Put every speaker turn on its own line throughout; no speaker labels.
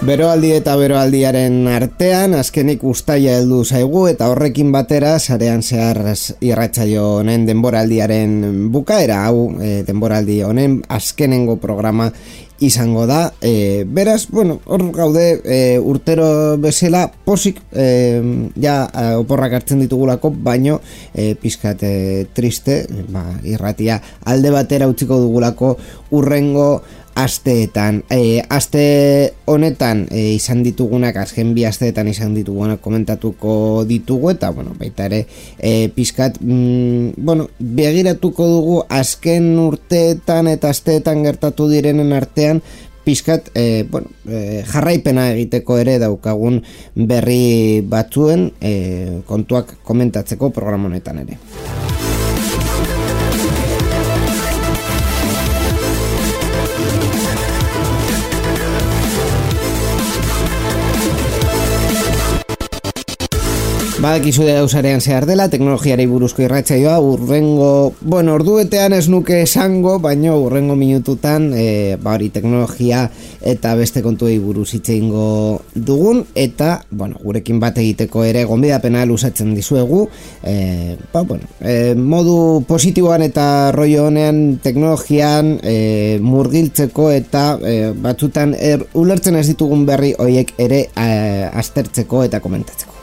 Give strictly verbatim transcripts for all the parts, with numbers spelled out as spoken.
Beroaldi eta beroaldiaren artean, azkenik uztaila heldu zaigu eta horrekin batera sarean zehar irratsaio honen denboraldiaren bukaera, hau e, denboraldi honen azkenengo programa izango da. E, beraz, bueno, hor gaude e, urtero bezala posik e, ja oporrak hartzen ditugulako, baino e, pizkat e, triste, ba, irratia alde batera utziko dugulako urrengo asteetan. E, aste honetan e, izan ditugunak, azken bi asteetan izan ditugunak komentatuko ditugu eta bueno, baita ere e, pizkat mm, bueno, begiratuko dugu azken urteetan eta asteetan gertatu direnen artean pizkat e, bueno, e, jarraipena egiteko ere daukagun berri batzuen e, kontuak komentatzeko programa honetan ere. Badakizu da usarean zehar dela, teknologiari buruzko irratsaioa, urrengo, bueno, orduetean ez nuke esango, baino urrengo minututan, e, ba hori teknologia eta beste kontuei buruz hitz egingo dugun, eta, bueno, gurekin bat egiteko ere gonbidapena luzatzen dizuegu, e, ba, bueno, e, modu positiboan eta rollo honean teknologian e, murgiltzeko eta e, batzutan er, ulertzen ez ditugun berri horiek ere e, aztertzeko eta komentatzeko.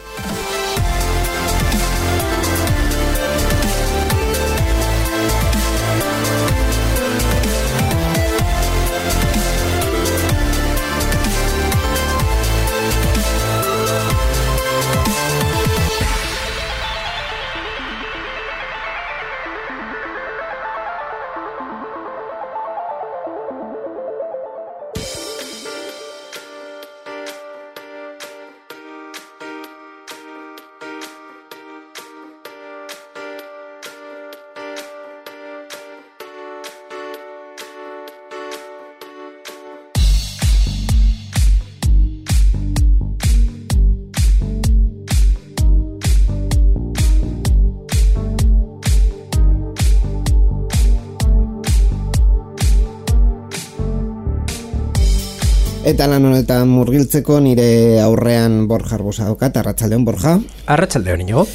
Eta lan honetan murgiltzeko nire aurrean Borja Arbosa daukat. Arratsaldeon, Borja.
Arratsaldeon, Inigo.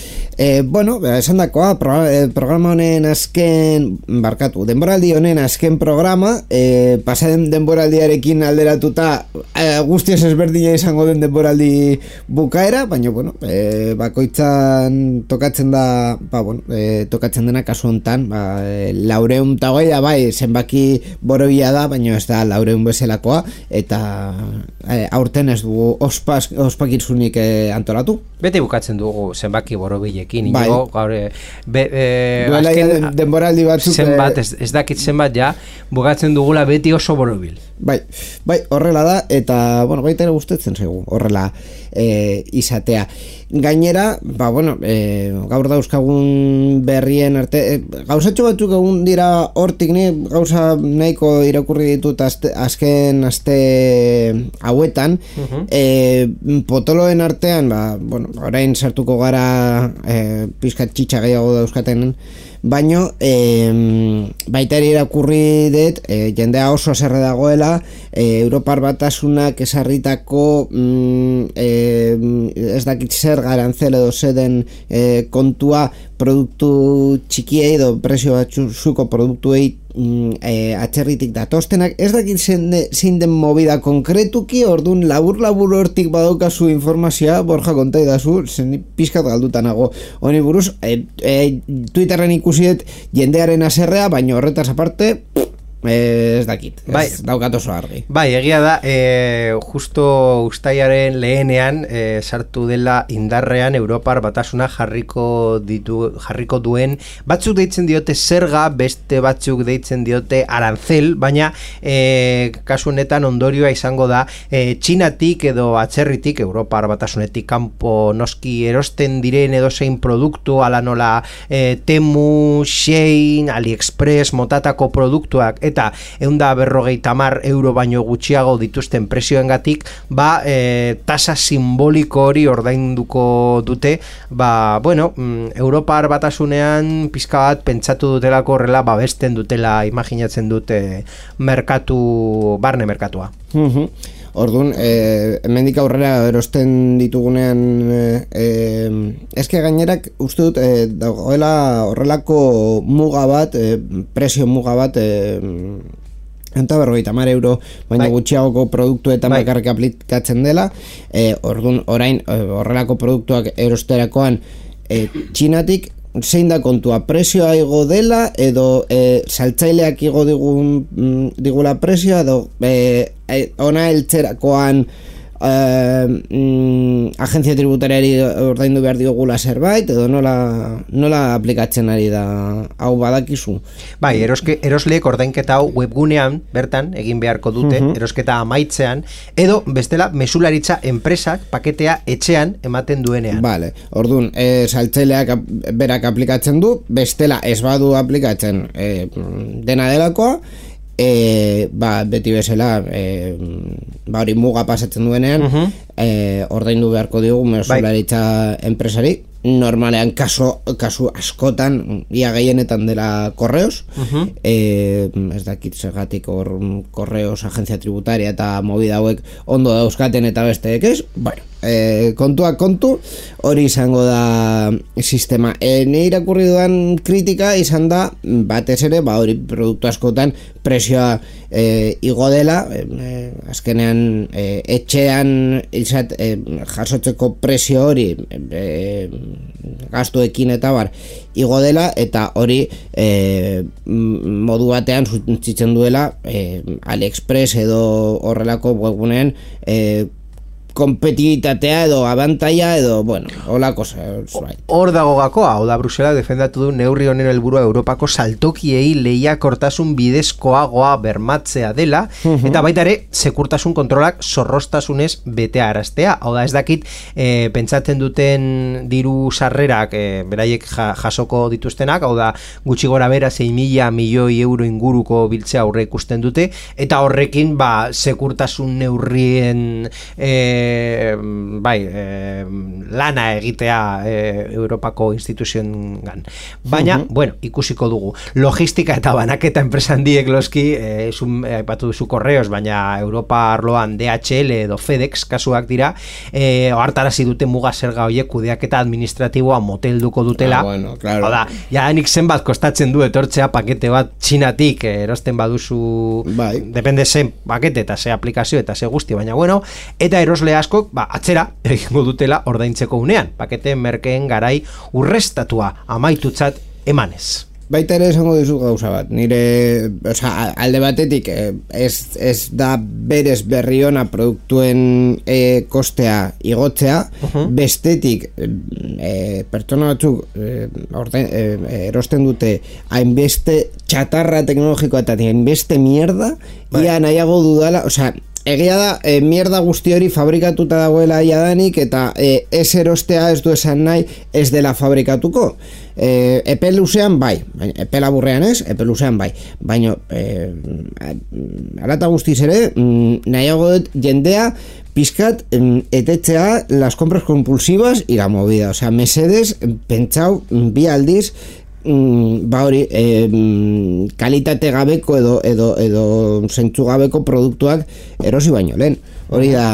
E, bueno, esan dakoa, pro, programa honen azken, barkatu, denboraldi honen azken programa, e, pasaden denboraldiarekin alderatuta e, guztiz ezberdina izango den denboraldi bukaera, baina, bueno, e, bakoitzan tokatzen da, ba, bueno, e, tokatzen dena kasu hontan, ba, e, laureun eta goia, bai, zenbaki borobia da, baina ez da laureun bezalakoa, eta e, aurten ez dugu ospas, ospakitzunik e, antolatu.
Beti bukatzen dugu zenbaki borobilekin,
bai.
Inigo, gaur, be, e,
duela
azken,
denboraldi batzuk
zenbat, ez, ez dakit zenbat ja, bukatzen dugula beti oso borobil.
Bai, bai, horrela da, eta, bueno, baita ere gustatzen zaigu, horrela e, izatea. Gainera, ba, bueno, e, gaur dauzkagun berrien arte, e, gauzatxo batzuk egun dira hortik, ni gauza nahiko irakurri ditut azte, azken aste hauetan, uh-huh. e, potoloen artean, ba, bueno, orain sartuko gara e, pizkat txitsa gehiago dauzkaten, baino e, baita ere irakurri dut e, jendea oso haserre dagoela e, Europar Batasunak esarritako mm, e, ez dakit zer garantzele edo zeden e, kontua produktu txikiei edo prezio batzuko produktuei mm, e, atxerritik datostenak, ez dakit zein den movida konkretuki, orduan labur-labur hortik badaukazu informazioa, Borja konta idazu, zen pizkat galdutanago honi buruz, e, e, Twitterren ikusiet jendearen haserrea, baina horretaz aparte ez dakit, ez
bai,
daukat oso argi.
Bai, egia da, e, justo ustailaren lehenean e, sartu dela indarrean Europar batasuna jarriko ditu, jarriko duen, batzuk deitzen diote zerga, beste batzuk deitzen diote arancel, baina e, kasu honetan ondorioa izango da e, Txinatik edo atzerritik, Europar batasunetik kanpo noski erosten diren edozein produktu, ala nola e, Temu, Shein, AliExpress, motatako produktuak, eta ehun eta berrogeita hamar euro baino gutxiago dituzten presioengatik, ba, e, tasa simboliko hori ordainduko dute, ba, bueno, mm, Europar batasunean pizka bat pentsatu dutelako horrela babesten dutela, imaginatzen dute merkatu, barne merkatua.
Mhm. Orduan, eh, hemendik aurrera erosten ditugunean eh, eh, eske gainerak uste dut eh, dagoela horrelako muga bat, eh, presio muga bat eh, eta berrogeita hamar euro baina bai, gutxiagoko produktuetan bai, bakarrik aplikatzen dela, eh, orduan orain eh, horrelako produktuak erosterakoan eh, Txinatik zein da kontua, presioa igo dela edo e, saltzaileak igo digun, digula presioa edo e, ona eltzerakoan e, mm, agentzia tributariari ordaindu behar diogula zerbait edo nola, nola aplikatzen ari da hau badakizu?
Bai, eroske, erosleek ordainketa hau webgunean bertan egin beharko dute, uh-huh, erosketa amaitzean, edo bestela mesularitza enpresak paketea etxean ematen duenean.
Vale, orduan, e, saltzaileak berak aplikatzen du, bestela ez badu aplikatzen e, dena delakoa, E, ba, beti bezala e, ba, hori muga pasatzen duenean, uh-huh, e, ordaindu beharko digu mesularitza bai, enpresari, normalean kaso, kasu askotan ia gehienetan dela korreos, uh-huh, e, ez dakit zergatik hor korreos, agentzia tributaria eta movida hauek ondo dauzkaten eta besteek ez, bueno, e, kontua kontu, hori izango da sistema. E, ne irakurri dudan kritika izan da batez ere, ba hori produktu askotan presioa e, igo dela, e, azkenean e, etxean izat, e, jasotzeko presio hori e, gastuekin eta bar igo dela, eta hori e, modu batean zuntzitzen duela e, AliExpress edo horrelako webgunean e, kompetibitatea edo abantaia edo, bueno, hola cosa.
Hor dago gakoa, hau da Brusela defendatu du neurri honen helburua Europako saltokiei lehiakortasun bidezkoagoa bermatzea dela, uh-huh, eta baita ere sekurtasun kontrolak zorroztasunez betea araztea. Hau da, ez dakit e, pentsatzen duten diru sarrerak e, beraiek ja, jasoko dituztenak, hau da gutxi gora bera sei mila milioi euro inguruko biltzea aurre ikusten dute, eta horrekin ba sekurtasun neurrien e, bai, e, lana egitea e, Europako instituzioen baina, uh-huh, bueno, ikusiko dugu logistika eta banaketa enpresan diek loski, e, aipatu duzu korreos, baina Europa arloan D H L edo FedEx kasuak dira, e, ohartarazi dute muga zerga horiek kudeaketa administratiboa motelduko dutela,
ah, bueno, claro,
oda, ja nik zenbat kostatzen du etortzea pakete bat Txinatik erosten baduzu, bai, depende zen pakete eta ze aplikazio eta ze guzti, baina bueno, eta erosle askok, ba, atzera egingo dutela ordaintzeko unean, pakete merkeen garai urrestatua amaitutzat emanez.
Baita ere esango dizu gauza bat, nire, oza, alde batetik ez, ez da berez berriona produktuen e, kostea igotzea, uh-huh, bestetik e, pertsona batzuk e, ordein, e, erosten dute hainbeste txatarra teknologikoa eta hainbeste mierda, bai, ia nahiago dudala, oza, egia da, e, mierda guzti hori fabrikatuta dagoela jadanik eta e, ez erostea ez du esan nahi ez dela fabrikatuko. E, epe luzean bai, epe laburrean ez, epe luzean bai, baina e, alata guztiz ere, nahiago dut jendea pizkat etetzea las compras compulsivas y la movida, o sea, mesedes pentsau bi aldiz ba hori e, kalitate gabeko edo edo edo zentzu gabeko produktuak erosi baino lehen. Hori da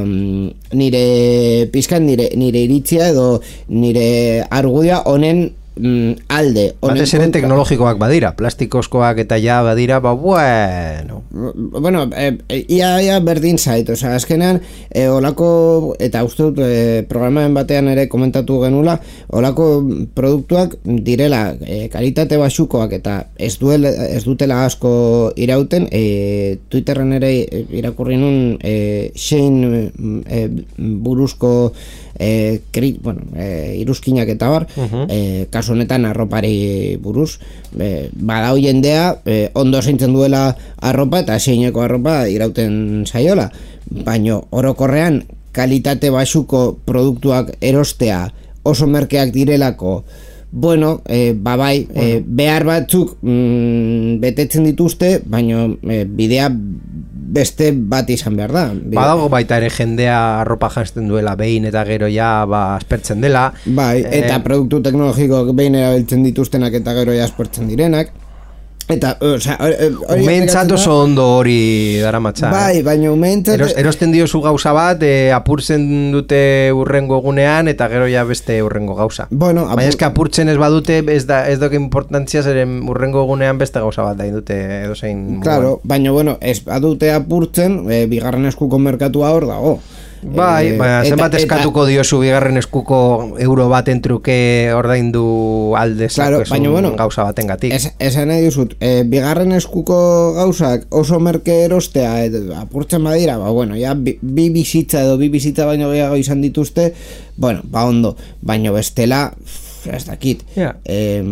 nire pizkan nire nire iritzia edo nire argudia honen mm, alde
batez ere teknologikoak badira, plastikozkoak eta ja badira, ba bueno
bueno, e, e, ia, ia berdin zait, oza, azkenean e, olako, eta uste dut e, programaren batean ere komentatu genula, olako produktuak direla e, kalitate basukoak eta ez, duel, ez dutela asko irauten, e, Twitterren ere irakurri nun e, Shane e, buruzko e, kri, bueno, e, iruzkinak eta bar, uh-huh. e, kasu honetan arropari buruz, e, badau jendea e, ondo zeintzen duela arropa eta seineko arropa irauten zaiola, baino orokorrean kalitate basuko produktuak erostea oso merkeak direlako, bueno, e, babai, bueno. E, behar batzuk mm, betetzen dituzte, baino e, bidea beste bat izan behar da.
Badago baita ere jendea arropa janzten duela behin eta gero ja ba, aspertzen dela.
Bai, eta eh, produktu teknologikoak behin erabiltzen dituztenak eta gero ja aspertzen direnak. Eta, o sea,
umeentzat oso ondo hori daramatza.
Bai, baina umeentzat
Eros, erosten diozu gauza bat, e, apurtzen dute urrengo egunean eta gero ja beste urrengo gauza.
Bueno, apur...
baina eska apurtzen ez badute, ez da ez doke importantzia zeren urrengo egunean beste gauza bat da indute edozein.
Claro, baina bueno, ez badute apurtzen, e, bigarren eskuko merkatua hor dago.
Bai, eh, baina zenbat eskatuko eta, diozu bigarren eskuko euro baten truke ordaindu alde
claro, baina, bueno,
gauza baten gatik.
Es, esan nahi duzut, e, bigarren eskuko gauzak oso merke erostea et, apurtzen badira, ba, bueno, ja, bi, bi bizitza edo bi bizitza baino gehiago izan dituzte, bueno, ba ondo, baino bestela, ez dakit.
Yeah.
Eh,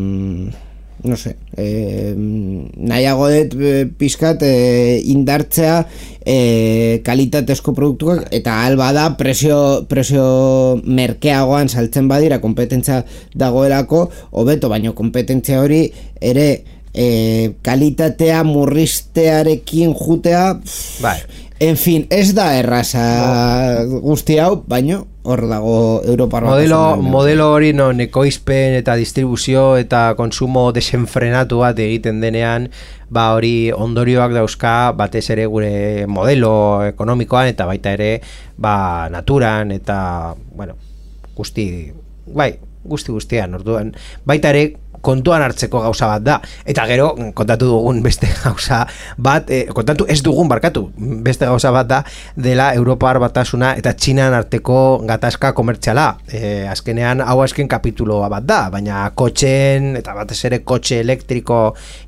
no sé, eh, nahiago dut eh, pizkat eh, indartzea eh, kalitatezko produktuak eta alba da presio, presio merkeagoan saltzen badira kompetentzia dagoelako hobeto, baino kompetentzia hori ere eh, kalitatea murriztearekin jutea pff,
bai.
En fin, ez da erraza guzti hau, baino hor dago Europar
modelo, modelo hori non ekoizpen eta distribuzio eta konsumo desenfrenatu bat egiten denean, ba hori ondorioak dauzka batez ere gure modelo ekonomikoan eta baita ere ba naturan eta bueno, guzti bai, guzti guztian orduan baita ere kontuan hartzeko gauza bat da, eta gero kontatu dugun beste gauza bat, eh, kontatu ez dugun barkatu, beste gauza bat da dela Europar Batasuna eta Txinan arteko gatazka komertziala. Eh, azkenean hau azken kapituloa bat da, baina kotxeen eta batez ere kotxe elektriko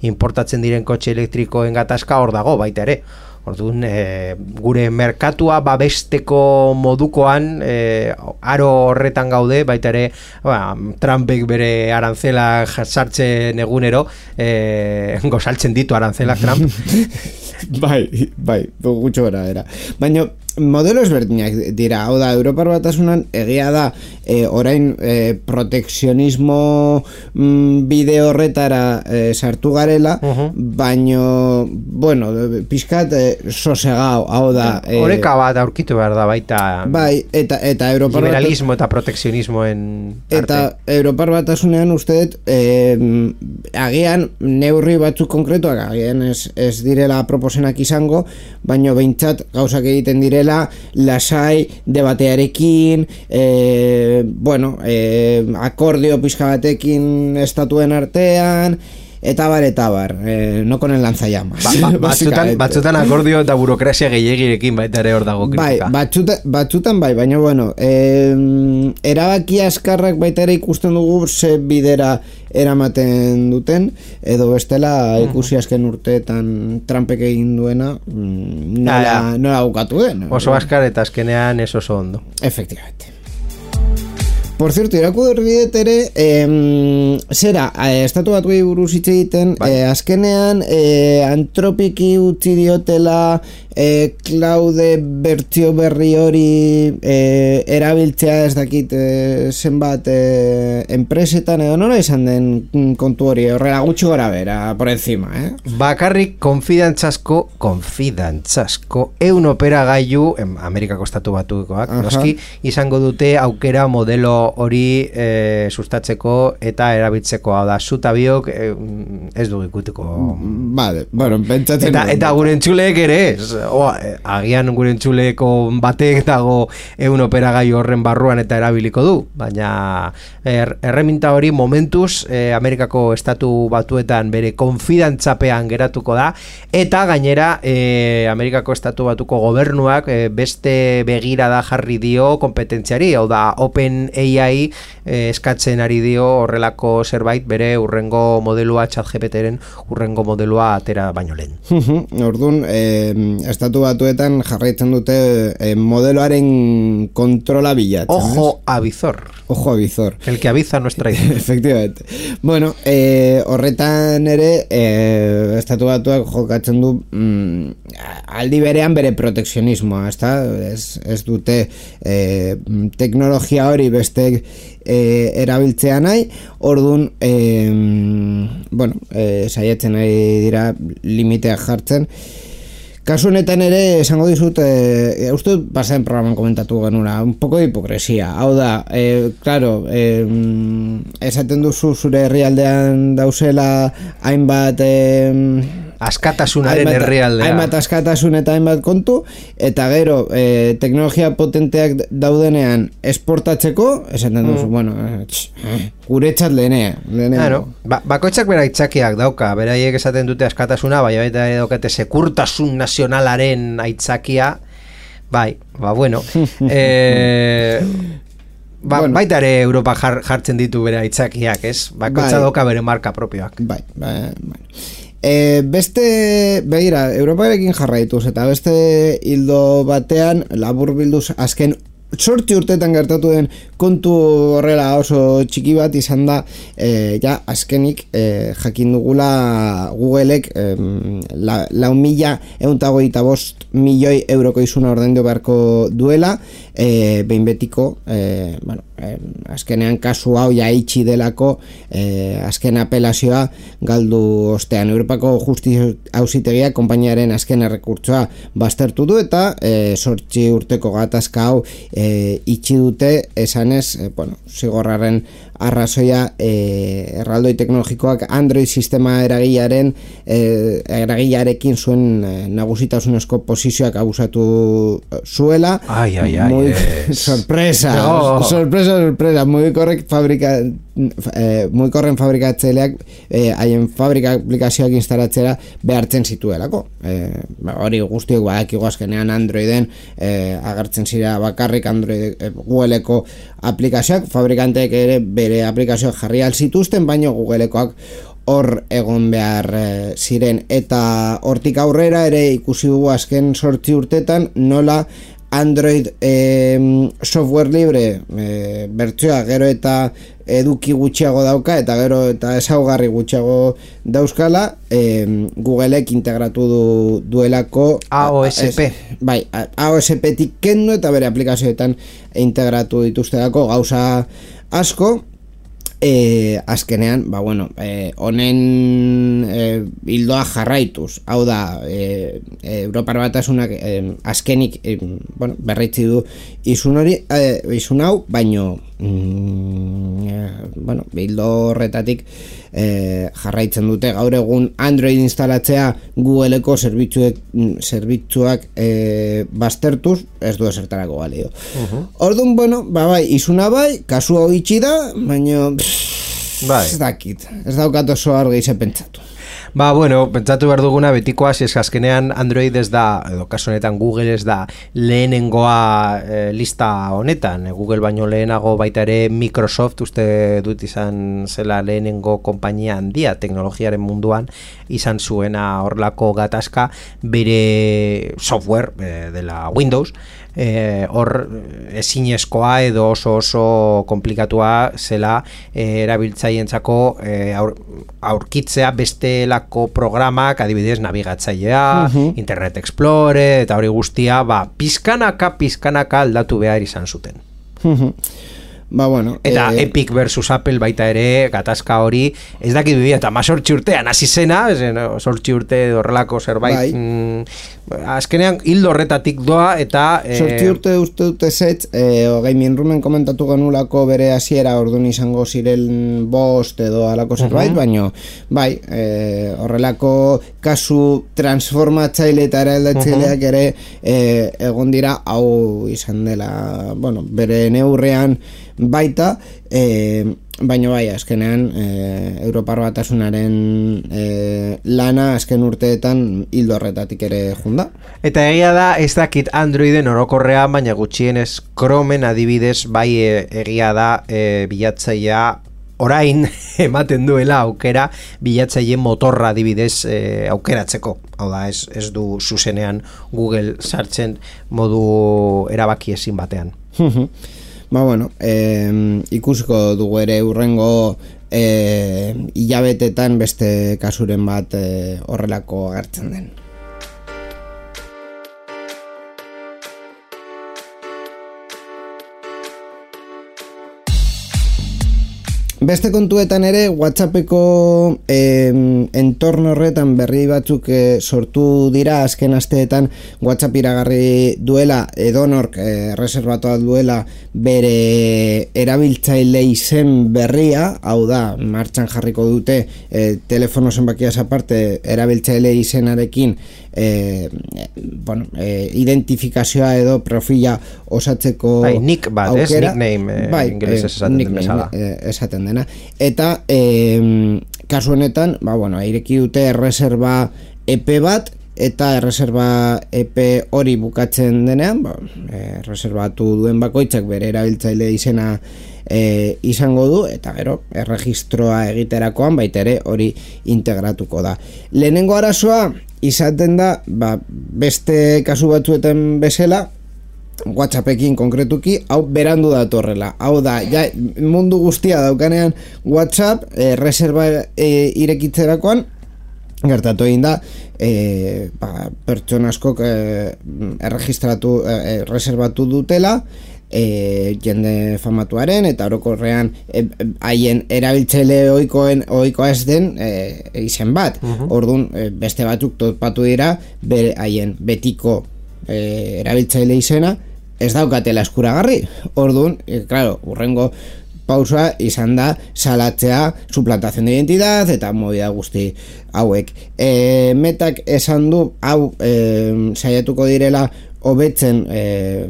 importatzen diren kotxe elektrikoen gatazka hor dago baita ere. Orduan, e, gure merkatua babesteko modukoan e, aro horretan gaude, baita ere ba, Trumpek bere arantzela sartzen egunero, e, gozaltzen ditu arantzelak Trump.
bai, bai, gutxo gara era. Baina modelo ezberdinak dira, hau da, Europar Batasunan egia da e, orain e, protekzionismo mm, bide horretara e, sartu garela, uh-huh. baino, bueno, pixkat e, sosegao, hau da
e, oreka bat aurkitu behar da baita
bai, eta, eta Europar
liberalismo Batas... eta protekzionismoen arte.
Eta Europar Batasunean ustedet e, agian neurri batzuk konkretuak agian ez, ez direla proposenak izango, baino behintzat gauzak egiten direla lasai, debatearekin, e, bueno, e, akordio pixka batekin estatuen artean, eta bar, eta bar, eh, no con el lanzallamas.
Ba, ba, batzutan, batzutan akordio eta burokrazia gehiagirekin baita ere hor dago kritika.
Bai, batzutan, batzutan bai, baina bueno, eh, erabaki askarrak baita ere ikusten dugu ze bidera eramaten duten, edo bestela ikusi azken urteetan Trumpek egin duena, nola, nola bukatu den.
Oso askar eta azkenean ez oso ondo.
Efectivamente. Por cierto, irakurri ere, eh, zera, eh, estatu batuei buruz hitz egiten, eh, azkenean eh, antropiki utzi diotela eh, Claude bertsio berri hori eh, erabiltzea ez dakit eh, zenbat eh, enpresetan edo nola izan den kontu hori, horrela gutxi gora bera, por encima, eh?
Bakarrik konfidantzasko, konfidantzasko, eun operagailu, Amerikako estatu batukoak, noski, izango dute aukera modelo hori e, sustatzeko eta erabiltzeko, hau da, zuta biok e, ez du ikutiko.
Vale, bueno, pentsatzen.
Eta, eta gure entzuleek ere ez, o, agian gure entzuleeko batek dago egun operagai horren barruan eta erabiliko du, baina er, erreminta hori momentuz e, Amerikako estatu batuetan bere konfidantzapean geratuko da, eta gainera e, Amerikako estatu batuko gobernuak e, beste begirada jarri dio kompetentziari, hau da OpenAI eh, eskatzen ari dio horrelako zerbait bere urrengo modelua ChatGPTren urrengo modelua atera baino lehen.
Orduan, eh, estatu batuetan jarraitzen dute eh, modeloaren kontrola bilatzen.
Ojo avizor.
Ojo avizor.
El que aviza no es traidor.
Efectivamente. Bueno, eh, horretan ere eh, estatu batuak jokatzen du mm, aldi berean bere protekzionismoa, ezta? Ez, ez dute eh, teknologia hori beste eh, erabiltzea nahi, orduan eh, bueno, eh, saiatzen nahi dira limiteak jartzen. Kasu honetan ere esango dizut, eh, uste dut pasaden programan komentatu genuna, un poco de hipokresia. Hau da, eh, claro, eh, esaten duzu zure herrialdean dauzela hainbat eh,
askatasunaren herrialdea.
Hainbat askatasun eta hainbat kontu, eta gero eh, teknologia potenteak daudenean esportatzeko, esaten duzu, mm. bueno, eh, tx, eh, guretzat lehenea.
Claro, ba, bakoitzak bera aitzakiak dauka, beraiek esaten dute askatasuna, baina baita ere daukate sekurtasun nazionalaren aitzakia, bai, ba bueno, eh, ba, bueno. Baita ere Europa jar, jartzen ditu bere aitzakiak, ez? Bakoitza bai. Dauka bere marka propioak.
Bai, bai, bai. E, beste, begira, Europarekin jarraituz eta beste hildo batean labur bilduz azken sortzi urtetan gertatu den kontu horrela oso txiki bat izan da, e, ja azkenik e, jakin dugula Googleek e, la, lau mila euntagoita bost milioi euroko izuna ordaindu beharko duela, e, behin betiko, e, bueno, e, azkenean kasu hau ja itxi delako, e, azken apelazioa galdu ostean. Europako Justizia Auzitegiak konpainiaren azken errekurtsoa baztertu du eta e, sortzi urteko gatazka hau e, itxi dute esanez, e, bueno, zigorraren arrazoia e, erraldoi teknologikoak Android sistema eragilearen e, eragilearekin zuen e, nagusitasunezko posizioak abusatu zuela.
Ai, ai, ai.
Muy,
es.
sorpresa, no. sorpresa, sorpresa. Muy correct fabrika, eh, muy corren fabrikatzaileak eh, haien fabrika aplikazioak instalatzera behartzen zituelako. Eh, hori guztiok badakigu azkenean Androiden eh, agertzen zira bakarrik Android eh, Googleeko aplikazioak, fabrikanteek ere bere aplikazioak jarri alzituzten, baina Googlekoak hor egon behar e, ziren, eta hortik aurrera ere ikusi dugu azken sortzi urtetan nola Android e, software libre e, bertsioa gero eta eduki gutxiago dauka eta gero eta ezaugarri gutxiago dauzkala, e, Googleek integratu du, duelako
A O S P.
Es, bai, A O S P-tik kendu eta bere aplikazioetan integratu dituztelako gauza asko. E, azkenean, ba bueno, e, honen e, hildoa jarraituz, hau da, e, e, Europar Batasunak e, azkenik e, bueno, berritzi du izun hori, e, izun hau, baino mm, e, bueno, hildo horretatik e, jarraitzen dute gaur egun Android instalatzea Googleeko zerbitzuek, zerbitzuak e, baztertuz, ez du esertarako balio. Uh-huh. Orduan, bueno, ba bai, izuna bai, kasu hau itxi da, baino bai. Ez dakit, ez daukat oso argi ze pentsatu.
Ba, bueno, pentsatu behar duguna betikoa, si ez azkenean Android ez da, edo kasu honetan Google ez da lehenengoa e, lista honetan, e, Google baino lehenago baita ere Microsoft uste dut izan zela lehenengo konpainia handia teknologiaren munduan izan zuena horlako gatazka bere software e, dela Windows, hor e, ezinezkoa edo oso oso komplikatua zela e, erabiltzaientzako e, aur, aurkitzea bestelako programak, adibidez nabigatzailea, uh-huh. Internet Explorer eta hori guztia, ba, pizkanaka pizkanaka aldatu behar izan zuten.
Uh-huh. Ba, bueno,
eta
eh,
Epic versus Apple baita ere, gatazka hori, ez dakit bibia, eta mazortzi urtean, hasi zena, zortzi urte horrelako zerbait,
bai.
mm, azkenean hildo horretatik doa, eta...
Eh, zortzi urte uste dute zetz, eh, Gaming Roomen komentatu genulako bere hasiera orduan izango ziren bost edo alako zerbait, uh-huh. baino, bai, eh, horrelako kasu transformatzaile eta eraldatzaileak uh-huh. ere eh, egon dira, hau izan dela, bueno, bere neurrean baita, eh, baina bai, azkenean eh, Europar Batasunaren eh, lana azken urteetan hildo horretatik ere junda.
Eta egia da, ez dakit Androiden orokorrean, baina gutxienez Chromen adibidez, bai e, egia da e, bilatzailea orain ematen duela aukera bilatzaile motorra adibidez e, aukeratzeko. Hau da, ez, ez du zuzenean Google sartzen modu erabaki ezin batean.
Ba, bueno, eh, ikusiko dugu ere urrengo eh, hilabetetan beste kasuren bat eh, horrelako agertzen den. Beste kontuetan ere, WhatsAppeko eh, entorno horretan berri batzuk eh, sortu dira azken asteetan. WhatsApp iragarri duela, edonork eh, reservatu duela bere erabiltzaile izen berria, hau da, martxan jarriko dute eh, telefono zenbakiaz aparte erabiltzaile izenarekin eh, bueno, eh, identifikazioa edo profila osatzeko
bai, nick bat,
aukera.
Ez? Nickname eh,
bai,
ingelesez esaten den bezala.
Eh, esaten dena. Eta eh, kasu honetan, ba, bueno, ireki dute erreserba epe bat, eta erreserba epe hori bukatzen denean, ba, erreserbatu duen bakoitzak bere erabiltzaile izena e, izango du, eta gero erregistroa egiterakoan baita ere hori integratuko da. Lehenengo arazoa izaten da, ba, beste kasu batzuetan bezala, WhatsAppekin konkretuki, hau berandu datorrela. Hau da, ja, mundu guztia daukanean WhatsApp e, reserva e, irekitzerakoan, gertatu egin da, e, ba, pertsona askok e, erregistratu, e, reservatu dutela, e, jende famatuaren, eta orokorrean haien e, erabiltzaile ohikoen ohikoa ez den e, izen bat. Uh-huh. Orduan, e, beste batzuk topatu dira, bere haien betiko e, erabiltzaile izena, ez daukatela eskuragarri. Orduan, e, claro, urrengo pausa izan da salatzea suplantación de identidad eta movida guzti hauek. E, metak esan du hau e, saiatuko direla hobetzen e,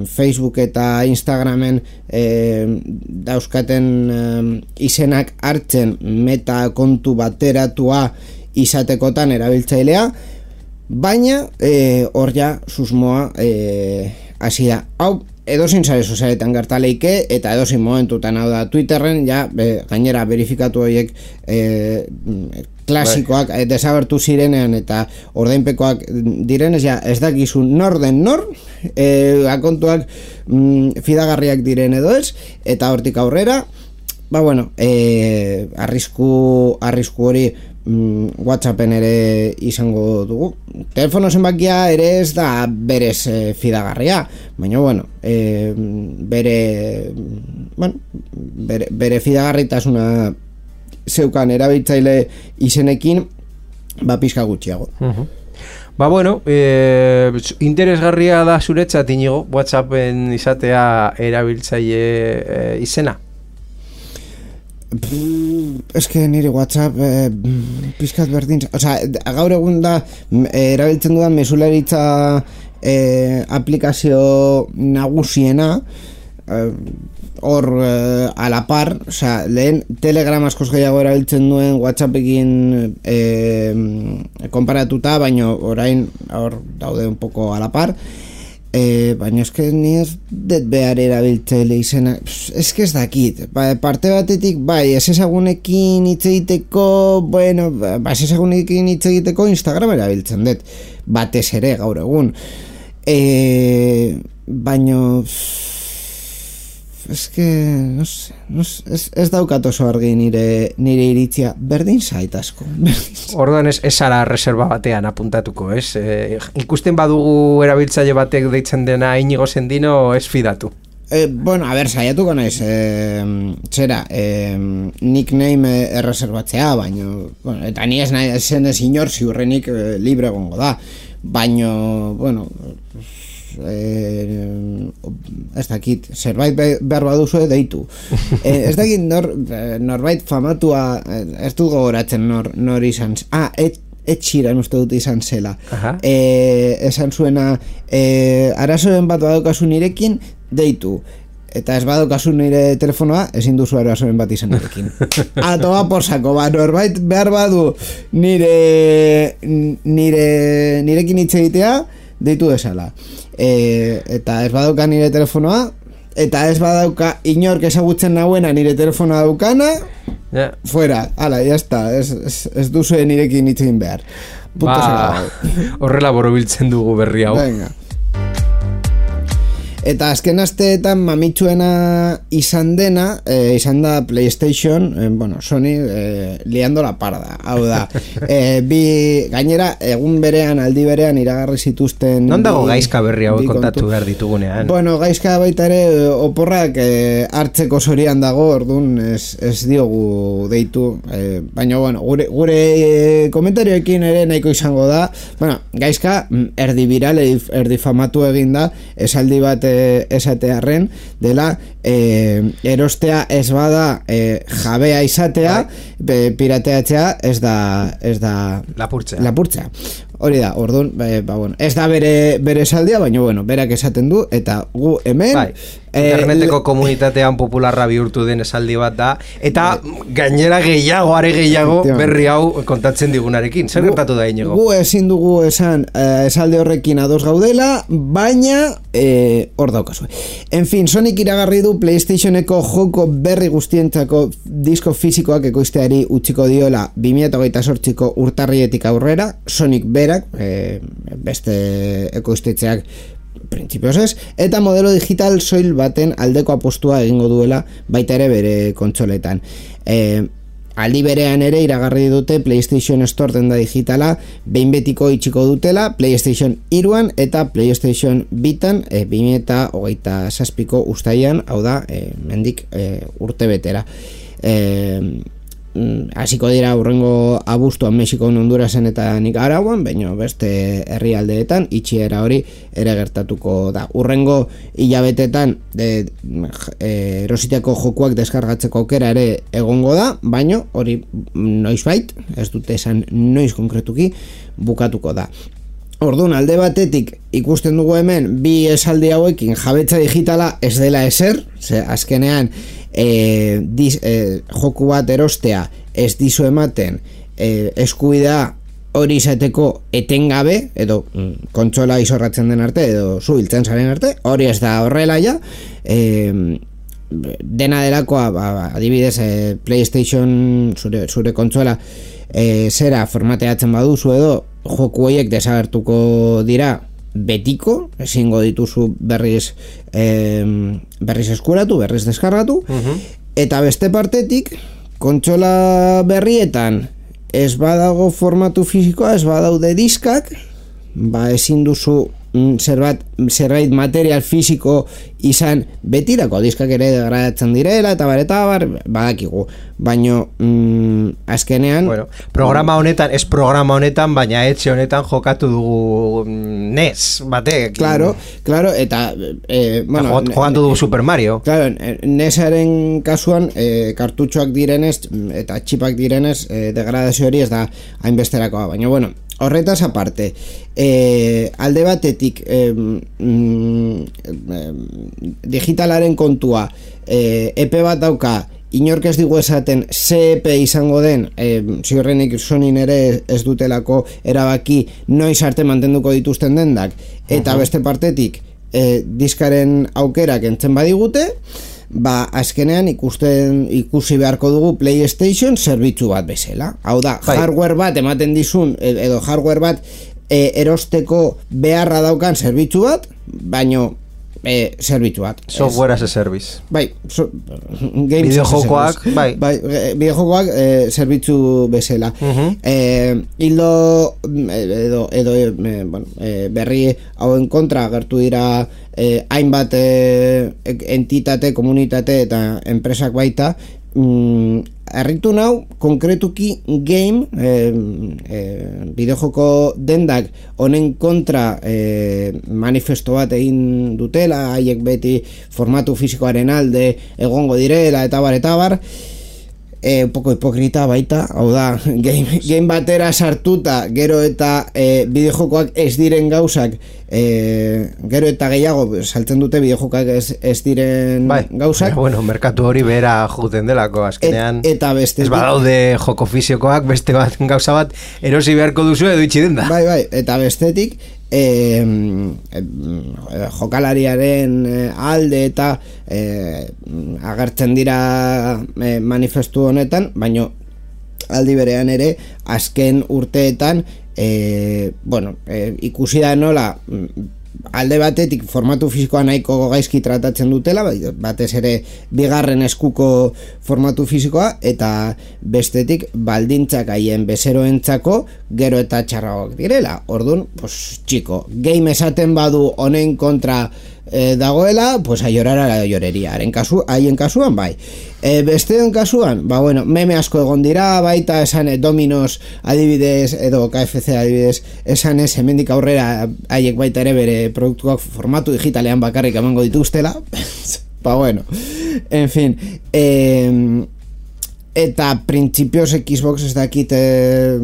Facebook eta Instagramen e, dauzkaten e, izenak hartzen meta kontu bateratua izatekotan erabiltzailea, baina hor e, ja susmoa e, hasi da. Hau edozein sare sozialetan gertaleike, eta edozein momentutan, hau da Twitterren ja be, gainera verifikatu horiek e, klasikoak e, desagertu zirenean eta ordainpekoak direnez, ja ez dakizu nor den nor, e, akontuak mm, fidagarriak diren edo ez, eta hortik aurrera, ba bueno, e, arrisku, arrisku hori mm, WhatsAppen ere izango dugu. Telefono zenbakia ere ez da berez e, fidagarria, baina bueno, e, bere, bueno, bere, bere fidagarritasuna zeukan erabiltzaile izenekin, ba pizka gutxiago. Uh-huh.
Ba bueno, e, interesgarria da zuretzat Inigo, WhatsAppen izatea erabiltzaile e, izena?
Ez que nire WhatsApp eh, pizkat berdin, osea, gaur egun da eh, erabiltzen dudan mesularitza eh, aplikazio nagusiena, eh, hor eh, a la par, osea, lehen Telegram askoz gehiago erabiltzen duen WhatsAppekin eh, konparatuta, baina orain hor daude un poco a la par. E, baina eske ni ez det behar erabiltzaile izena, eske ez dakit, ba, parte batetik bai, ez ezagunekin hitz egiteko, bueno, ba, ez ezagunekin hitz egiteko Instagram erabiltzen dut, batez ere gaur egun, e, baina eske, no sé, no sé, ez, ez daukat oso argi nire, nire iritzia, berdin zait asko.
Orduan ez, ez ara reserva batean apuntatuko, ez? E, ikusten badugu erabiltzaile batek deitzen dena Inigo Sendino, ez fidatu.
Eh, bueno, a ber, saiatuko naiz, eh, zera, eh, nickname erreserbatzea, baina, bueno, eta ni ez nahi zen ez inor ziurrenik eh, libre gongo da, baina, bueno, eh, ez dakit, zerbait behar baduzu deitu. Eh, ez dakit nor, norbait famatua, ez dut gogoratzen nor, nor izan, ah, et, etxiran uste dut izan zela. E, esan zuena, e, arazoren bat badokazu nirekin, deitu. Eta ez badokazu nire telefonoa, ezin duzu arazoren bat izan nirekin. Atoa porsako, ba, norbait behar badu nire, nire, nirekin hitz egitea, deitu desala. E, eta ez badoka nire telefonoa, eta ez badauka inork ezagutzen nahuena nire telefonoa daukana, yeah. Fuera, ala, ya está, ez, ez, ez duzu nirekin itzin behar.
Ba, horrela borobiltzen dugu berri hau.
Venga. Eta azken asteetan mamitsuena izan dena, eh, izan da PlayStation, eh, bueno, Sony eh, liando la parda. Hau da, eh, bi, gainera, egun berean, aldi berean iragarri zituzten...
Non dago gaizka berri hau kontatu behar ditugunean?
Bueno, gaizka baita ere oporrak eh, hartzeko zorian dago, orduan ez, ez diogu deitu. Eh, baina, bueno, gure, gure eh, komentarioekin ere nahiko izango da. Bueno, gaizka erdi viral, erdi famatu eginda, esaldi bat esatearren dela eh, erostea ez bada eh, jabea izatea, be, pirateatzea ez da ez da
lapurtzea.
lapurtzea. Hori da, orduan, ba, ba, bueno, ez da bere, bere saldia, baina, bueno, berak esaten du, eta gu hemen...
Bai, interneteko eh, komunitatean popularra bihurtu den esaldi bat da, eta bai, gainera gehiago, are gehiago, berri hau kontatzen digunarekin. Zer gertatu da, Iñigo?
Gu ezin dugu esan eh, esalde horrekin ados gaudela, baina eh, hor daukazue. En fin, Sonic iragarri du PlayStationeko joko berri guztientzako disko fisikoak ekoizteari utziko diola bi mila hogeita zortziko urtarrietik aurrera, Sonic berak, e, beste ekoiztetxeak printzipioz ez, eta modelo digital soil baten aldeko apostua egingo duela baita ere bere kontsoletan. E, aldi berean ere iragarri dute PlayStation Store denda digitala behin betiko itxiko dutela PlayStation hiruan eta PlayStation bitan e, bi mila hogeita zazpiko uztailean, hau da, e, mendik e, urte betera. E, hasiko dira urrengo abuztuan Mexikon, Hondurasen eta Nikaraguan, baina beste herrialdeetan itxiera hori ere gertatuko da. Urrengo hilabetetan de, e, erositeko jokuak deskargatzeko aukera ere egongo da, baina hori noizbait, ez dute esan noiz konkretuki, bukatuko da. Orduan, alde batetik ikusten dugu hemen bi esaldi hauekin jabetza digitala ez dela ezer, ze azkenean e, diz, e, joku bat erostea ez dizu ematen e, eskubidea hori izateko etengabe, edo mm, kontsola izorratzen den arte, edo zu hiltzen zaren arte, hori ez da horrela ja, e, dena delakoa, ba, adibidez, e, PlayStation zure, zure kontsola e, zera formateatzen baduzu edo joku horiek desagertuko dira betiko, ezingo dituzu berriz eh, berriz eskuratu, berriz deskargatu, uh-huh. Eta beste partetik kontsola berrietan ez badago formatu fisikoa, ez badaude diskak, ba ezin duzu zerbait, zerbait material fisiko izan betirako, diskak ere degradatzen direla eta bar eta bar, badakigu, baino mm, azkenean
bueno, programa honetan, ez programa honetan, baina etxe honetan jokatu dugu N E S batek,
claro, claro, eta eh, bueno,
jokatu dugu Super Mario,
claro, N E S-aren kasuan eh, kartutxoak direnez eta txipak direnez eh, degradazio hori ez da hainbesterakoa, baina bueno, horretaz aparte, eh, alde batetik eh, mm, eh, digitalaren kontua eh, epe bat dauka, inork ez digu esaten ze epe izango den, eh, ziurrenik Sonin ere ez dutelako erabaki noiz arte mantenduko dituzten dendak, eta uh-huh. Beste partetik eh, diskaren aukerak entzen badigute, ba, azkenean ikusten ikusi beharko dugu PlayStation zerbitzu bat bezala. Hau da, Bai. hardware bat ematen dizun, edo hardware bat e, erosteko beharra daukan zerbitzu bat, baino e, zerbitzu bat.
Software as a service.
Bai, so,
bideojokoak, bai.
Bai, bideojokoak e, zerbitzu bezala. Uh-huh. E, hildo edo, edo e, bueno, e, berri hauen kontra agertu dira e, hainbat e, entitate, komunitate eta enpresak baita. Mm, Arritu nau, konkretuki game, eh, eh, bideojoko dendak honen kontra eh, manifesto bat egin dutela, haiek beti formatu fisikoaren alde egongo direla, eta bar, eta bar, eh, un poco hipokrita baita, hau da, game, game batera sartuta, gero eta eh, bideojokoak ez diren gauzak, eh, gero eta gehiago saltzen dute bideojokoak ez, ez diren
bai,
gauzak.
Bueno, merkatu hori behera juten delako, azkenean.
Et, eta beste.
Ez badaude joko fisiokoak, beste bat gauza bat, erosi beharko duzu edo itxi denda.
Bai, bai, eta bestetik, E, e, jokalariaren alde eta e, agertzen dira e, manifestu honetan, baino aldi berean ere azken urteetan e, bueno, e, ikusi da nola alde batetik formatu fisikoa nahiko gaizki tratatzen dutela, batez ere bigarren eskuko formatu fisikoa, eta bestetik baldintzak haien bezeroentzako gero eta txarragoak direla. Orduan, pues txiko, game esaten badu honen kontra eh, dagoela, pues a llorar a la llorería. Haren kasu, haien kasuan bai. E, besteon kasuan, ba bueno, meme asko egon dira, baita esan eh, Dominos adibidez edo K F C adibidez, esan ez hemendik aurrera haiek baita ere bere produktuak formatu digitalean bakarrik emango dituztela. Ba bueno, en fin, eh, eta printzipioz Xbox ez dakit eh,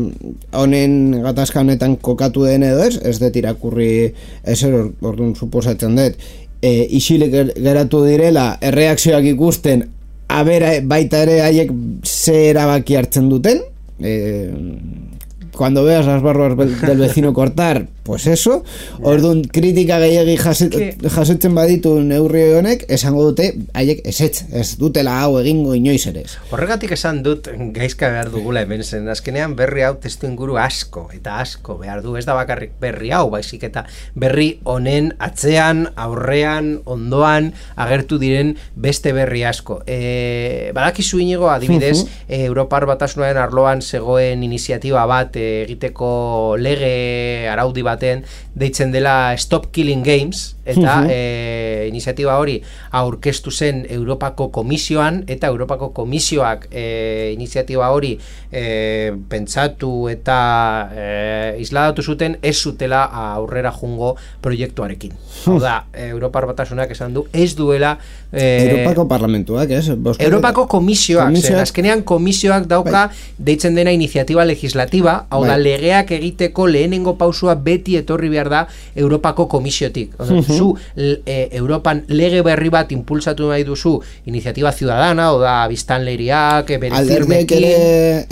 honen gatazka honetan kokatu den edo ez, ez dut irakurri ezer, orduan suposatzen dut, eh, isilik geratu direla erreakzioak ikusten, abera baita ere haiek ze erabaki hartzen duten, eh, cuando veas las barbas del vecino cortar, pues eso, orduan kritika gehiagi jasotzen baditu neurri honek, esango dute haiek ezetz, ez dutela hau egingo inoiz ere.
Horregatik esan dut gaizka behar dugula hemen zen, azkenean berri hau testu inguru asko eta asko behar du, ez da bakarrik berri hau, baizik eta berri honen atzean, aurrean, ondoan agertu diren beste berri asko. E, badakizu inigo adibidez, uh-huh. e, Europar Batasunaren arloan zegoen iniziatiba bat egiteko lege araudi baten deitzen dela Stop Killing Games, eta uh-huh. e, iniziatiba hori aurkeztu zen Europako Komisioan, eta Europako Komisioak e, iniziatiba hori e, pentsatu eta e, isladatu zuten ez zutela aurrera jungo proiektuarekin. Hau da, Europar Batasunak esan du ez duela e,
Europako Parlamentuak, ez? Boskak
Europako Komisioak, zen, azkenean Komisioak dauka bai. Deitzen dena iniziatiba legislativa, hau da, legeak egiteko lehenengo pausua beti etorri behar da Europako Komisiotik. Uh-huh. Zu e, Europan lege berri bat impulsatu nahi duzu iniziatiba ciudadana, o da biztanleriak, bere firmekin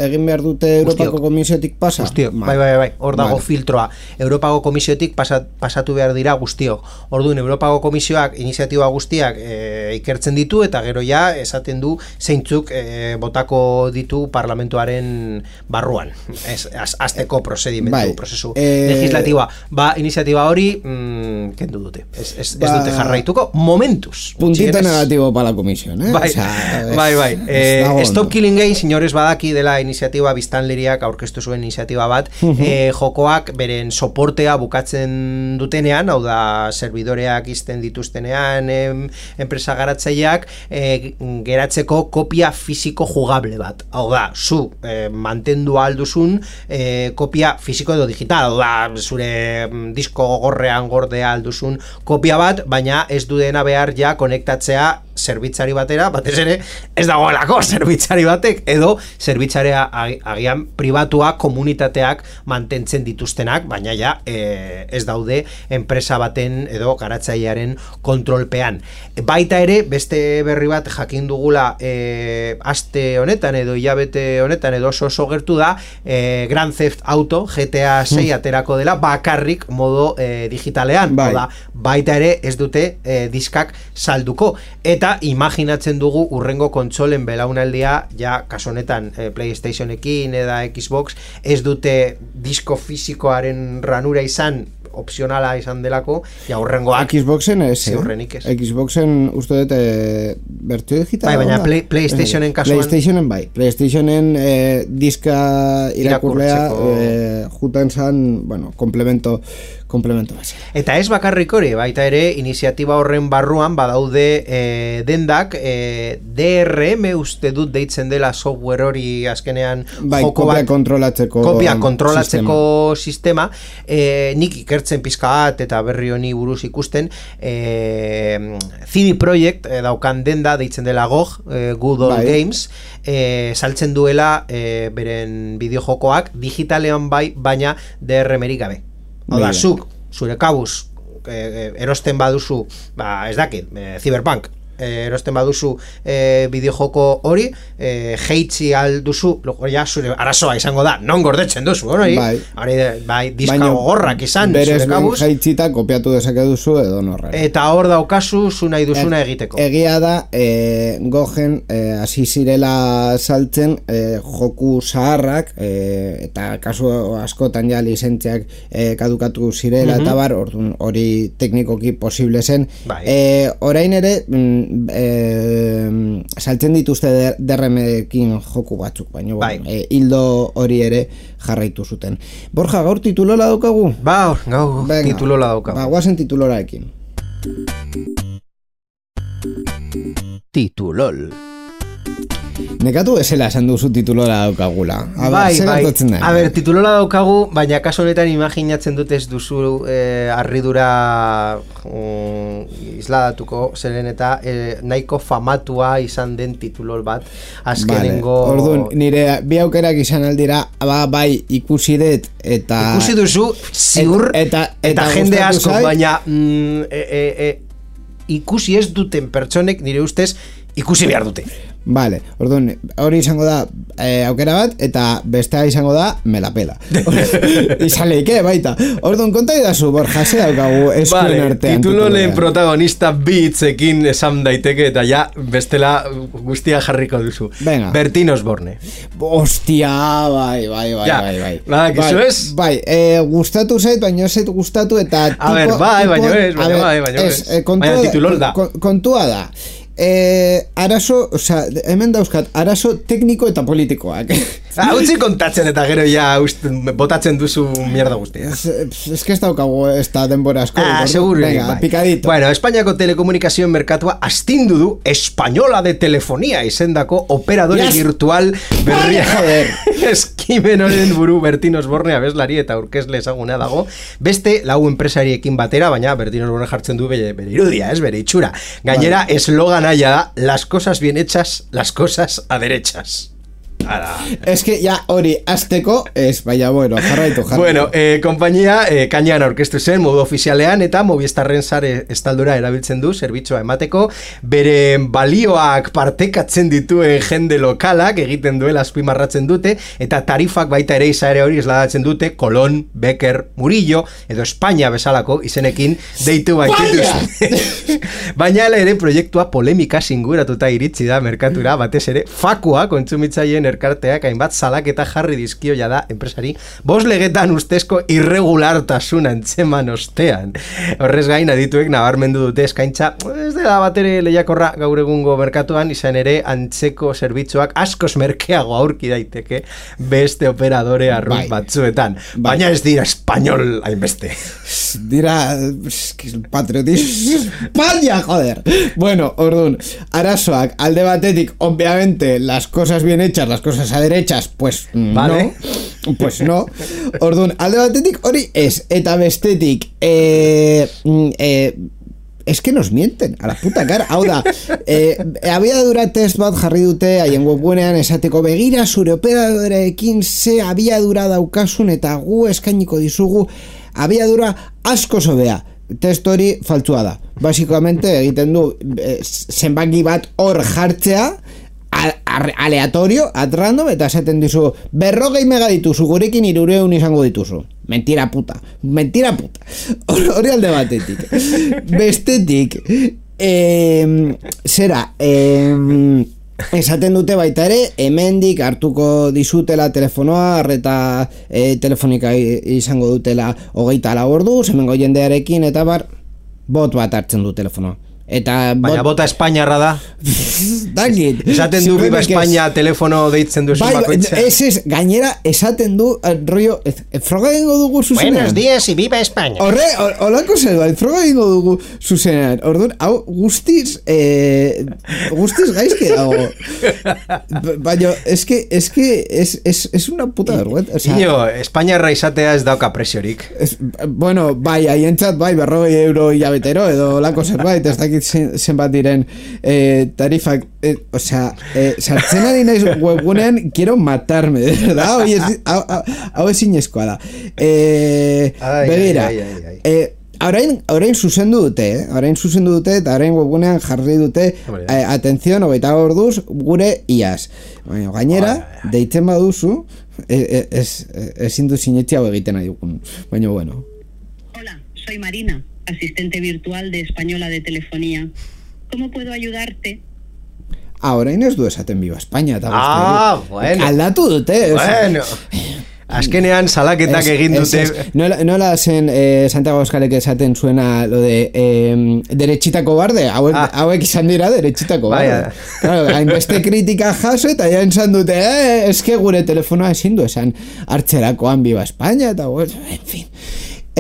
egin behar dute Europako Ustiok. Komisiotik pasa.
Ustiok, bai, bai, bai, hor dago vale. Filtroa. Europako Komisiotik pasat, pasatu behar dira guztiok. Orduan, Europako Komisioak iniziatiba guztiak e, ikertzen ditu, eta gero ja esaten du zeintzuk e, botako ditu parlamentuaren barruan. Ez, az, azteko prozedimentu, bai. Prozesu e... legislatiba. Ba, iniziatiba hori mm, kendu dute. Ez, ez, ba... ez dute jarraituko momentuz.
Puntito negativo para la comisión, eh?
Bai,
o sea,
bai, bai. Eh, Stop Killing Games, señores, badaki dela iniziatiba biztanleriak aurkeztu zuen iniziatiba bat, uh-huh. eh, jokoak beren soportea bukatzen dutenean, hau da, serbidoreak izten dituztenean, em, enpresa garatzaileak, eh, geratzeko kopia fisiko jugable bat. Hau da, zu eh, mantendu alduzun eh, kopia fisiko edo digital, hau da, zure disko gorrean gordea alduzun kopia bat, baina ez du dena behar ja konektatzea zerbitzari batera, batez ere ez dagoelako zerbitzari batek, edo zerbitzarea agian pribatua komunitateak mantentzen dituztenak, baina ja e, ez daude enpresa baten edo garatzailearen kontrolpean. Baita ere, beste berri bat jakin dugula e, aste honetan edo hilabete honetan edo oso oso gertu da, e, Grand Theft Auto G T A sei aterako dela bakarrik modo e, digitalean, bai. Da, baita ere ez dute e, diskak salduko, eta imaginatzen dugu urrengo kontsolen belaunaldia, ja kasu honetan e, PlayStationekin eta Xbox ez dute disko fisikoaren ranura izan opzionala izan delako, ja hurrengoak
Xboxen ez,
ziurrenik ez.
Xboxen uste dut e, bertio digital.
Bai, baina play, PlayStationen kasuan
PlayStationen bai, PlayStationen e, diska irakurlea e, juten zan, bueno, komplemento komplemento base.
Eta ez bakarrik hori, baita ere iniziatiba horren barruan badaude e, dendak e, D R M uste dut deitzen dela software hori azkenean
bai,
joko
kopia
bat
kontrolatzeko
kopia kontrolatzeko sistema, sistema e, nik ikertzen pizka bat eta berri honi buruz ikusten e, C D Projekt e, daukan denda deitzen dela G O G, e, Good Old bai. Games e, saltzen duela e, beren bideojokoak digitalean bai, baina D R M-erik gabe. Hau da, zuk, zure kabuz e, erosten baduzu, ba, ez dakit, e, Cyberpunk e, erosten baduzu e, bideojoko hori, e, jeitzi alduzu, ja, zure arazoa izango da, non gordetzen duzu, hori, bai, hori, bai, diska gogorrak izan, zure kabuz.
Berez jeitzita kopiatu dezake duzu edo norra.
Eta hor daukazu, zu nahi duzuna e, egiteko.
Egia da, e, gogen, hasi e, zirela saltzen, e, joku zaharrak, e, eta kasu askotan ja lizentziak e, kadukatu zirela, mm-hmm. eta bar, orduan hori teknikoki posible zen. Bai. E, orain ere, E, saltzen dituzte D R M-ekin joku batzuk, baina bai. e, hildo hori ere jarraitu zuten. Borja, gaur titulola daukagu?
Ba, gaur titulola daukagu.
Ba, guazen tituloraekin.
Titulol.
Nekatu esela esan duzu titulora daukagula. A
bai, bai. A ber, titulora daukagu, baina kaso honetan imaginatzen dut ez duzu eh, arridura um, isladatuko, zeren eta eh, nahiko famatua izan den titulol bat. Azkenengo...
Vale. Orduan, nire bi aukerak izan aldira, ba, bai, ikusi dut, eta...
Ikusi duzu, ziur, et, eta, eta, eta jende asko, zai? Baina mm, e, e, e, ikusi ez duten pertsonek, nire ustez, ikusi behar dute.
Vale, orduan, hori izango da eh, aukera bat, eta bestea izango da me la pela. Izan leike, baita. Orduan, konta idazu, Borja, ze daukagu eskuen vale, artean.
Titulolen protagonista bitzekin esan daiteke, eta ja, bestela guztia jarriko duzu.
Venga.
Bertin Osborne.
Hostia, bai, bai, bai,
ja,
bai, bai.
Ba, kizu ez?
Bai, eh, gustatu zait, baina ez zait gustatu, eta...
A ber, bai, baina ez, baina bai, baina ez. Baina titulol da.
Kontua da. Eh, arazo, o sea, hemen dauzkat, arazo tekniko eta politikoak.
Ah, utzi kontatzen eta gero ja uste, botatzen duzu mierda guztia.
Es, es que ez daukagu ez da denbora asko.
Ah, seguro.
Venga, bai. Picadito.
Bueno, Espainiako telekomunikazioen merkatua astindu du Española de Telefonía izendako operadore yes. virtual berria. Eskimen honen buru Bertin Osborne abeslari eta aurkezle ezaguna dago. Beste lau enpresariekin batera, baina Bertin Osborne jartzen du bere, bere irudia, ez bere itxura. Gainera, vale. Eslogana ya da, las cosas bien hechas, las cosas a derechas. Ara.
Es que ya hori azteko es, baina bueno, jarraitu, jarraitu.
Bueno, eh, kompainia eh, kainan aurkeztu zen modu ofizialean eta Movistarren sare estaldura erabiltzen du zerbitzua emateko, bere balioak partekatzen dituen jende lokalak egiten duela azpimarratzen dute, eta tarifak baita ere izare hori esladatzen dute Colón, Becker, Murillo edo Espainia bezalako izenekin deitu baitituz. Baina ere proiektua polemika singuratuta iritsi da merkatura, batez ere fakua kontsumitzaileen erkarteak hainbat salaketa jarri dizkio jada enpresari bost legetan ustezko irregulartasuna antzeman ostean. Horrez gain adituek nabarmendu dute eskaintza ez dela batere lehiakorra gaur egungo merkatuan, izan ere antzeko zerbitzuak askoz merkeago aurki daiteke beste operadore arrunt bai. batzuetan. Bai. Baina ez dira español hainbeste.
Dira patriotismo España, joder. Bueno, orduan, arazoak alde batetik, obviamente, las cosas bien hechas, las cosas a derechas, pues vale. no, pues no. Orduan, alde batetik hori ez, eta bestetik, eh, eh, es que nos mienten a la puta cara. Hau da, eh, abiadura test bat jarri dute haien webgunean esateko begira zure operadoreekin ze abiadura daukasun eta gu eskainiko dizugu abiadura asko zobea. Test hori faltzua da. Basikamente egiten du eh, zenbaki bat hor jartzea aleatorio, at random, eta esaten dizu berrogei mega dituzu, gurekin irureun izango dituzu. Mentira puta, mentira puta. Hori alde batetik. Bestetik, eh, zera, eh, esaten dute baita ere, hemendik hartuko dizutela telefonoa, arreta e, telefonika izango dutela hogeita lau ordu, hemengo jendearekin, eta bar, bot bat hartzen du telefonoa. Eta
baina bot... bota espainiarra da.
Dakit.
Esaten du biba Espainia es... telefono deitzen du
bai,
bakoitza.
Ez ez, gainera esaten du rollo, froga egingo dugu zuzenean.
Buenos días y viva España.
Horre, holako zer bai, froga egingo dugu zuzenean. Orduan, hau guztiz eh, guztiz gaizki dago. Baina, eske eske es, es, es una puta vergüenza. O sea,
Iño, Espainiarra izatea ez dauka presiorik.
Es, bueno, bai, haientzat bai, berrogei euro hilabetero edo holako zerbait, ez dakit zenbat diren eh, tarifak, eh, o sea, eh, sartzen ari naiz webgunean, quiero matarme, de verdad, hau ez, hau ez inezkoa da. Eh, ai, begira, ai, ai, ai. Eh, Orain, orain zuzendu dute, eh? orain zuzendu dute eta orain webgunean jarri dute eh, atención, hogeita orduz gure iaz. Baina, gainera, deitzen baduzu, eh, ez ezin du sinetxia hau egiten nahi dugun. Baina, bueno.
Hola, soy Marina, asistente virtual de Española de Telefonía. ¿Cómo puedo ayudarte?
Ah, orain ez du esaten Viva España. Eta
ah, bueno.
Aldatu dute.
Bueno. Azkenean salaketak es, egin dute.
Es, es. Nola, nola zen eh, Santiago Euskalek esaten zuena lo de eh, derechitako barde, hauek, ah. hauek izan dira derechitako barde. Claro, hainbeste kritika jaso eta ja entzan dute, eh, eske gure telefonoa ezin du esan hartzerakoan Viva España, eta en fin.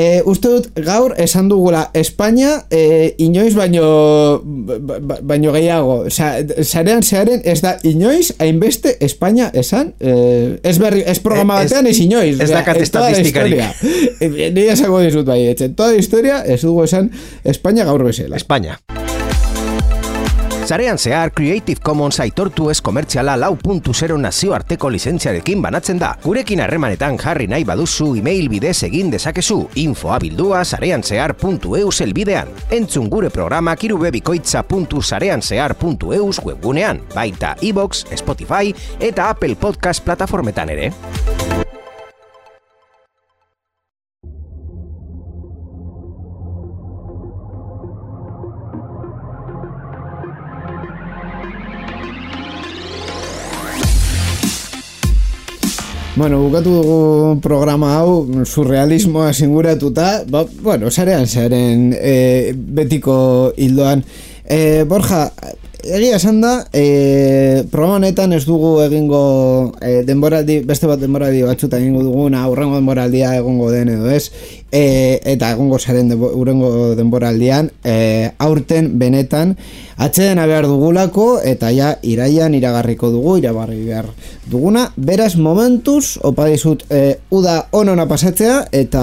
Eh, uste dut gaur esan dugula Espainia eh, inoiz baino ba, baino gehiago, osea, sarean zearen ez da inoiz hainbeste Espainia esan, eh, ez berri ez programa batean ez inoiz,
ez da estatistikari.
Ni esango dizut bai, etxe, toda historia ez dugu esan Espainia gaur bezala.
Espainia. Sarean zehar Creative Commons aitortu ez komertziala lau puntu zero nazioarteko lizentziarekin banatzen da. Gurekin harremanetan jarri nahi baduzu email bidez egin dezakezu, infoa bildua sarean zehar puntu eus elbidean. Entzun gure programak irubebikoitza puntu sarean zehar puntu eus webgunean, baita iVoox, Spotify eta Apple Podcast plataformetan ere.
Bueno, bukatu dugu programa hau surrealismoa singuratuta, ba, bueno, sarean zaren e, betiko hildoan. E, Borja, egia esan da, e, programa honetan ez dugu egingo e, denboraldi, beste bat denboraldi batzuta egingo duguna, aurrengo denboraldia egongo den edo ez, e, eta egongo zaren urrengo denboraldian, e, aurten benetan, atxedena behar dugulako, eta ja iraian iragarriko dugu, iragarri behar duguna. Beraz, momentuz, opa dizut, e, uda onona pasatzea, eta,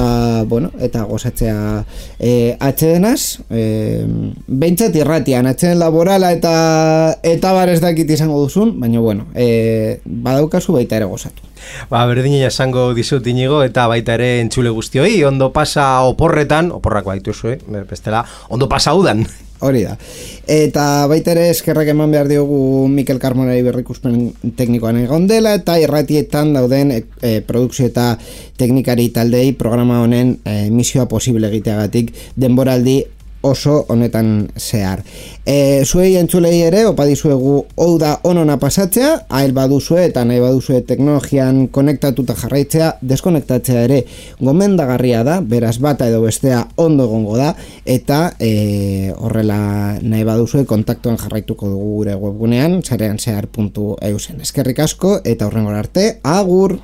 bueno, eta gozatzea e, atxedenaz, e, behintzat irratian, atxeden laborala eta eta bar ez dakit izango duzun, baina, bueno, e, badaukazu baita ere gozatu.
Ba, berdina esango dizut Inigo, eta baita ere entzule guztioi, ondo pasa oporretan, oporrak baituzu, eh? Bestela, ondo pasa udan.
Hori da. Eta baita ere eskerrak eman behar diogu Mikel Carmonari berrikuspen teknikoan egon dela, eta irratietan dauden e, e, produkzio eta teknikari taldei programa honen e, misioa posible egiteagatik denboraldi oso honetan zehar. E, zuei entzulei ere, opa dizuegu hau da onona pasatzea, hael baduzue eta nahi baduzue teknologian konektatuta jarraitzea, deskonektatzea ere gomendagarria da, beraz bata edo bestea ondo egongo da, eta e, horrela nahi baduzue kontaktuan jarraituko dugu gure webgunean, sarean zehar puntu eusen. Eskerrik asko eta horrengora arte, agur!